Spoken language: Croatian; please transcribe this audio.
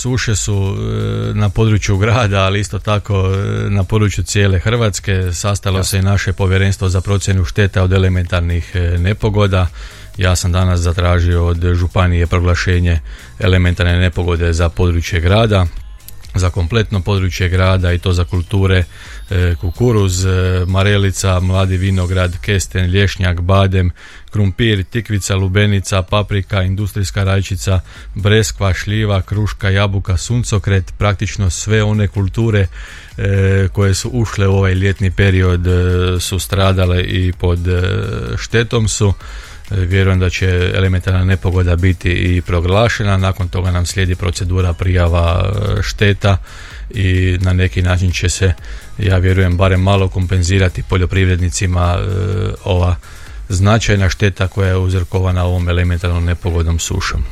suše su na području grada, ali isto tako na području cijele Hrvatske. Sastalo se i naše povjerenstvo za procjenu šteta od elementarnih nepogoda. Ja sam danas zatražio od županije proglašenje elementarne nepogode za područje grada, za kompletno područje grada, i to za kulture kukuruz, marelica, mladi vinograd, kesten, lješnjak, badem, krumpir, tikvica, lubenica, paprika, industrijska rajčica, breskva, šljiva, kruška, jabuka, suncokret, praktično sve one kulture koje su ušle u ovaj ljetni period su stradale i pod štetom su. Vjerujem da će elementarna nepogoda biti i proglašena, nakon toga nam slijedi procedura prijava šteta i na neki način će se, ja vjerujem, barem malo kompenzirati poljoprivrednicima ova značajna šteta koja je uzrokovana ovom elementarnom nepogodom sušom.